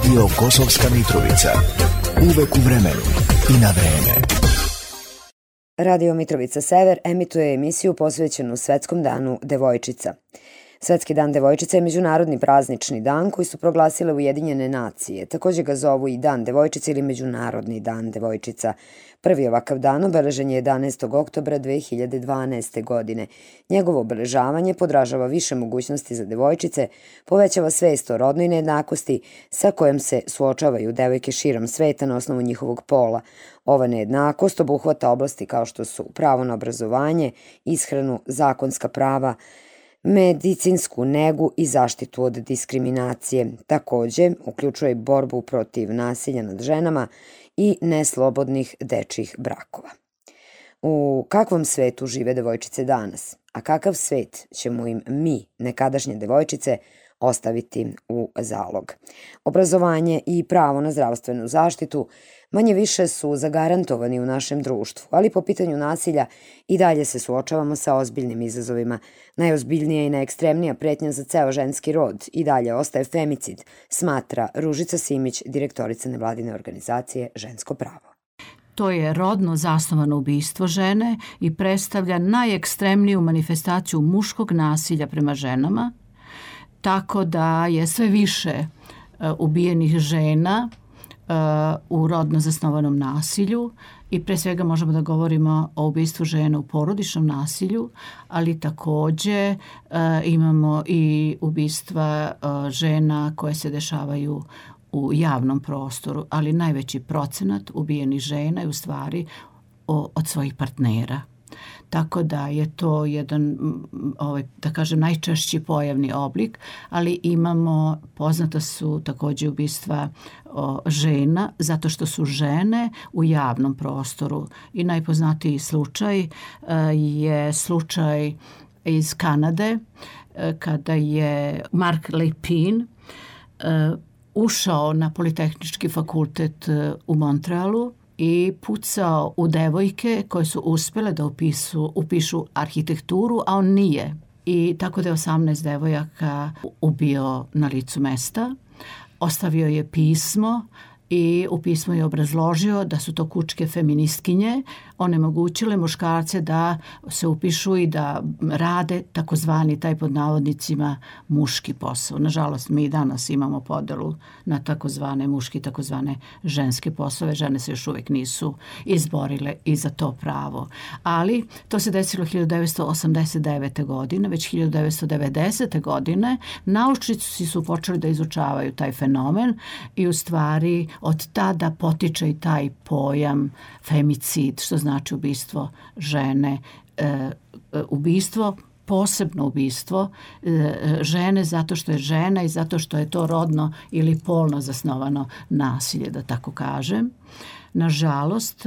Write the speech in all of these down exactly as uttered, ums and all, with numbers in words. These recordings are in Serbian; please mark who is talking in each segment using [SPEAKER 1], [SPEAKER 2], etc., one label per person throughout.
[SPEAKER 1] Radio Kosovska Mitrovica. Uvek u vremenu i na vreme.
[SPEAKER 2] Radio Mitrovica Sever emituje emisiju posvećenu Svetskom danu devojčica. Svetski dan devojčica je međunarodni praznični dan koji su proglasile Ujedinjene nacije. Također ga zovu i Dan devojčica ili Međunarodni dan devojčica. Prvi ovakav dan obeležen je jedanaestog oktobra dve hiljade dvanaeste. godine. Njegovo obeležavanje podražava više mogućnosti za devojčice, povećava svest o rodnoj nejednakosti sa kojom se suočavaju devojke širom sveta na osnovu njihovog pola. Ova nejednakost obuhvata oblasti kao što su pravo na obrazovanje, ishranu, zakonska prava, medicinsku negu i zaštitu od diskriminacije. Također, uključuje borbu protiv nasilja nad ženama i neslobodnih dečjih brakova. U kakvom svetu žive devojčice danas? A kakav svet ćemo im mi, nekadašnje devojčice, ostaviti u zalog? Obrazovanje i pravo na zdravstvenu zaštitu manje više su zagarantovani u našem društvu, ali po pitanju nasilja i dalje se suočavamo sa ozbiljnim izazovima. Najozbiljnija i najekstremnija pretnja za ceo ženski rod i dalje ostaje femicid, smatra Ružica Simić, direktorica nevladine organizacije Žensko pravo.
[SPEAKER 3] To je rodno zasnovano ubistvo žene i predstavlja najekstremniju manifestaciju muškog nasilja prema ženama, tako da je sve više ubijenih žena u rodno zasnovanom nasilju i pre svega možemo da govorimo o ubistvu žena u porodičnom nasilju, ali također imamo i ubistva žena koje se dešavaju u javnom prostoru, ali najveći procenat ubijenih žena je u stvari od svojih partnera. Tako da je to jedan, ovaj, da kažem, najčešći pojavni oblik, ali imamo, poznata su također ubistva o, žena, zato što su žene u javnom prostoru. I najpoznatiji slučaj e, je slučaj iz Kanade, e, kada je Mark Lepine e, ušao na Politehnički fakultet e, u Montrealu i pucao u devojke koje su uspjele da upisu, upišu arhitekturu, a on nije. I tako da je osamnaest devojaka ubio na licu mesta. Ostavio je pismo i u pismu je obrazložio da su to kučke feministkinje, onemogućile muškarce da se upišu i da rade takozvani, taj pod navodnicima, muški posao. Nažalost, mi danas imamo podelu na takozvane muški, takozvane ženske poslove. Žene se još uvijek nisu izborile i za to pravo. Ali to se desilo hiljadu devetsto osamdeset devete. godine, već hiljadu devetsto devedesete. godine naučnici su počeli da izučavaju taj fenomen i u stvari od tada potiče i taj pojam femicid, što znači ubistvo žene, e, ubistvo, posebno ubistvo e, žene zato što je žena i zato što je to rodno ili polno zasnovano nasilje, da tako kažem. Nažalost,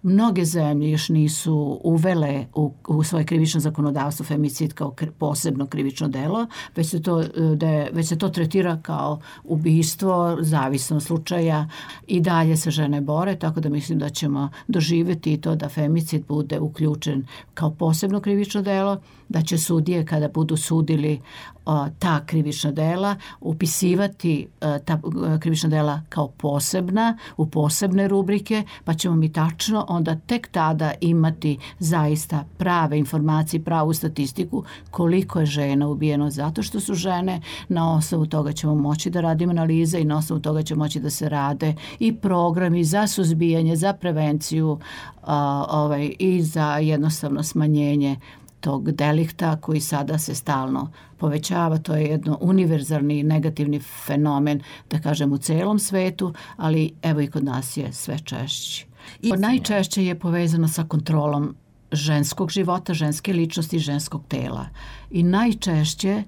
[SPEAKER 3] mnoge zemlje još nisu uvele u, u svoje krivično zakonodavstvo femicid kao kri, posebno krivično delo, već se, to, de, već se to tretira kao ubistvo, zavisno od slučaja i dalje se žene bore, tako da mislim da ćemo doživjeti to da femicid bude uključen kao posebno krivično delo, da će sudije kada budu sudili o, ta krivična dela upisivati o, ta krivična dela kao posebna, u posebne rubrike, pa ćemo mi tačno onda tek tada imati zaista prave informacije, pravu statistiku koliko je žena ubijeno zato što su žene. Na osnovu toga ćemo moći da radimo analize i na osnovu toga će moći da se rade i programi za suzbijanje, za prevenciju a, ovaj, i za jednostavno smanjenje tog delikta koji sada se stalno povećava. To je jedno univerzalni negativni fenomen, da kažem, u celom svetu, ali evo i kod nas je sve češći. I najčešće je povezano sa kontrolom ženskog života, ženske ličnosti, ženskog tela. I najčešće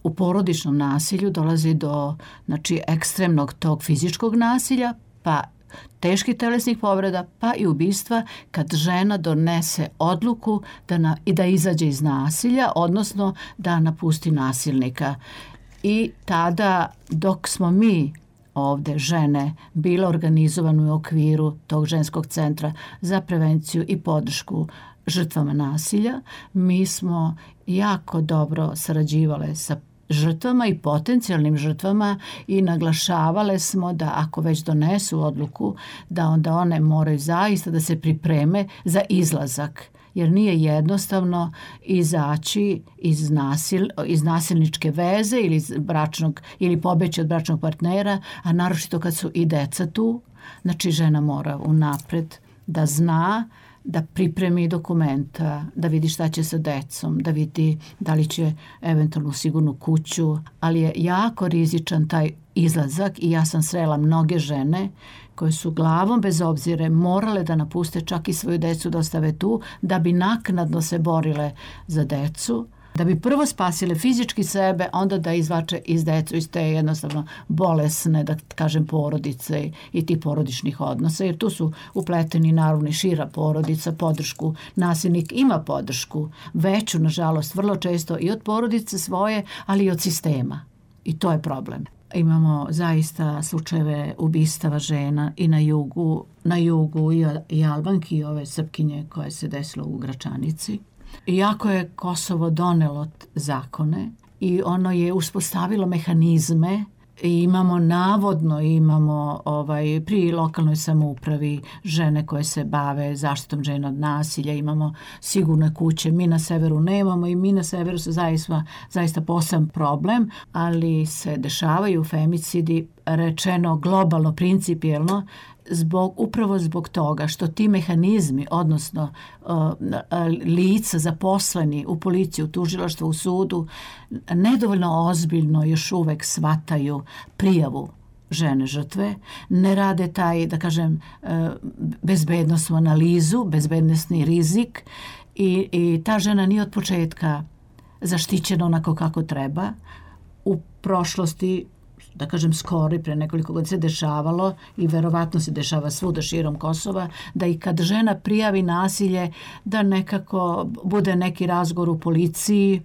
[SPEAKER 3] u porodičnom nasilju dolazi do, znači, ekstremnog tog fizičkog nasilja, pa teških telesnih povreda, pa i ubistva kad žena donese odluku da na, i da izađe iz nasilja, odnosno da napusti nasilnika. I tada, dok smo mi ovde žene bile organizovane u okviru tog ženskog centra za prevenciju i podršku žrtvama nasilja, mi smo jako dobro sarađivale sa žrtvama i potencijalnim žrtvama i naglašavale smo da ako već donesu odluku, da onda one moraju zaista da se pripreme za izlazak, jer nije jednostavno izaći iz, nasil, iz nasilničke veze ili, iz bračnog, ili pobeći od bračnog partnera, a naročito kad su i deca tu. Znači žena mora unapred da zna, da pripremi dokumenta, da vidi šta će sa decom, da vidi da li će eventualno sigurnu kuću, ali je jako rizičan taj izlazak i ja sam srela mnoge žene koje su glavom bez obzire morale da napuste čak i svoju decu da ostave tu, da bi naknadno se borile za decu, da bi prvo spasile fizički sebe, onda da izvače iz decu iz te jednostavno bolesne, da kažem, porodice i ti porodičnih odnosa, jer tu su upleteni naravno i šira porodica, podršku. Nasilnik ima podršku, veću, nažalost, vrlo često i od porodice svoje, ali i od sistema. I to je problem. Imamo zaista slučajeve ubistava žena i na jugu, na jugu i, i Albanki i ove Srpkinje koje se desilo u Gračanici. Iako je Kosovo donelo zakone i ono je uspostavilo mehanizme i imamo navodno imamo ovaj pri lokalnoj samoupravi žene koje se bave zaštitom žena od nasilja, imamo sigurne kuće, mi na severu nemamo i mi na severu se zaista, zaista poseban problem, ali se dešavaju femicidi, rečeno globalno, principijelno, zbog, upravo zbog toga što ti mehanizmi, odnosno uh, lica zaposleni u policiji, u tužilaštvu, u sudu, nedovoljno ozbiljno još uvek shvataju prijavu žene žrtve, ne rade taj, da kažem, bezbednosnu analizu, bezbednosni rizik i, i ta žena nije od početka zaštićena onako kako treba. U prošlosti, da kažem skoro i pre nekoliko godina se dešavalo i verovatno se dešava svuda širom Kosova, da i kad žena prijavi nasilje, da nekako bude neki razgovor u policiji,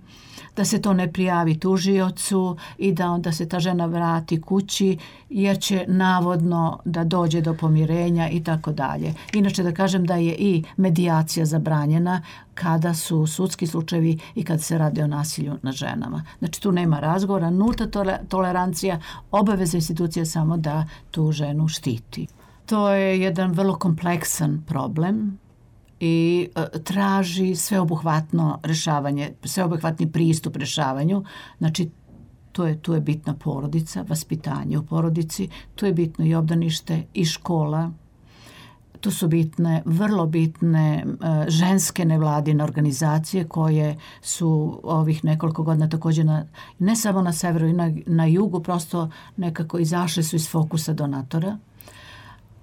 [SPEAKER 3] da se to ne prijavi tužiocu i da onda se ta žena vrati kući jer će navodno da dođe do pomirenja i tako dalje. Inače da kažem da je i medijacija zabranjena kada su sudski slučajevi i kad se radi o nasilju nad ženama. Znači tu nema razgovora, nulta tolerancija, obaveza institucije samo da tu ženu štiti. To je jedan vrlo kompleksan problem i e, traži sveobuhvatno rešavanje, sveobuhvatni pristup rešavanju. Znači, tu je, tu je bitna porodica, vaspitanje u porodici, tu je bitno i obdanište i škola. Tu su bitne, vrlo bitne e, ženske nevladine organizacije koje su ovih nekoliko godina također na, ne samo na severu i na, na jugu, prosto nekako izašle su iz fokusa donatora.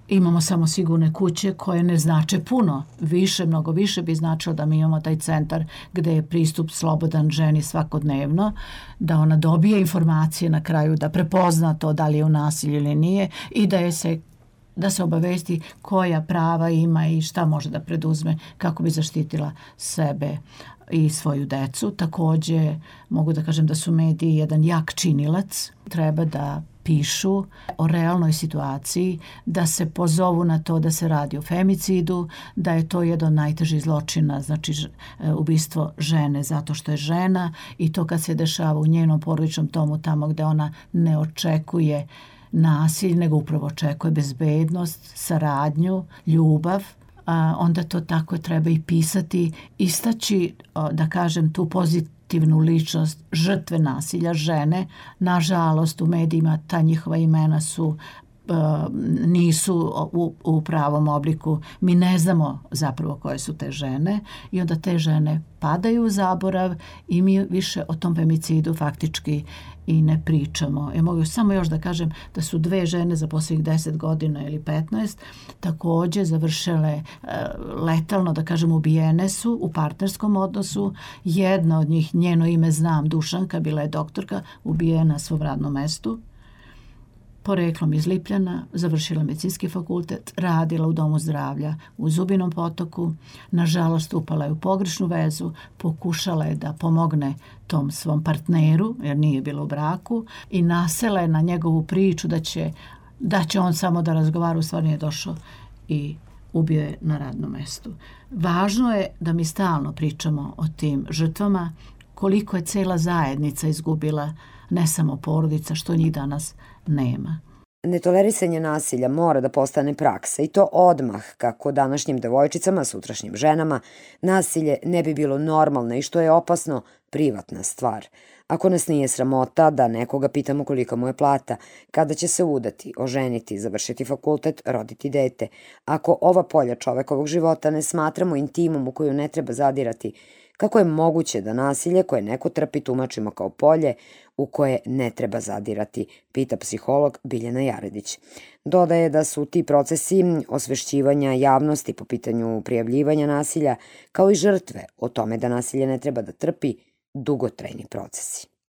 [SPEAKER 3] Imamo samo sigurne kuće koje ne znače puno, više, mnogo više bi značilo da mi imamo taj centar gde je pristup slobodan ženi svakodnevno, da ona dobije informacije na kraju, da prepozna to da li je u nasilju ili nije i da je se da se obavesti koja prava ima i šta može da preduzme kako bi zaštitila sebe i svoju decu. Također mogu da kažem da su mediji jedan jak činilac, treba da pišu o realnoj situaciji, da se pozovu na to da se radi o femicidu, da je to jedan od najtežih zločina, znači ubistvo žene zato što je žena i to kad se dešava u njenom porodičnom domu tamo gde ona ne očekuje nasilje, nego upravo očekuje bezbednost, saradnju, ljubav, a onda to tako treba i pisati, istaći, da kažem, tu pozitivnu ličnost žrtve nasilja, žene. Nažalost, u medijima ta njihova imena su nisu u, u pravom obliku. Mi ne znamo zapravo koje su te žene i onda te žene padaju u zaborav i mi više o tom femicidu faktički i ne pričamo. Ja mogu samo još da kažem da su dve žene za posljednjih deset godina ili petnaest također završile uh, letalno, da kažem, ubijene su u partnerskom odnosu. Jedna od njih, njeno ime znam, Dušanka, bila je doktorka, ubijena na svom radnom mestu. Poreklom iz Lipljana, završila medicinski fakultet, radila u domu zdravlja u Zubinom Potoku, nažalost upala je u pogrešnu vezu, pokušala je da pomogne tom svom partneru, jer nije bilo u braku, i nasela je na njegovu priču da će, da će on samo da razgovara, u stvari je došao i ubio je na radnom mestu. Važno je da mi stalno pričamo o tim žrtvama, koliko je cela zajednica izgubila ne samo porodica, što njih danas nema.
[SPEAKER 2] Netolerisanje nasilja mora da postane praksa i to odmah, kako današnjim devojčicama, sutrašnjim ženama, nasilje ne bi bilo normalno i što je opasno, privatna stvar. Ako nas nije sramota da nekoga pitamo kolika mu je plata, kada će se udati, oženiti, završiti fakultet, roditi dete, ako ova polja čovekovog života ne smatramo intimom u koju ne treba zadirati, kako je moguće da nasilje koje neko trpi tumačimo kao polje u koje ne treba zadirati, pita psiholog Biljana Jaredić. Dodaje da su ti procesi osvešćivanja javnosti po pitanju prijavljivanja nasilja, kao i žrtve o tome da nasilje ne treba da trpi, dugotrajni procesi.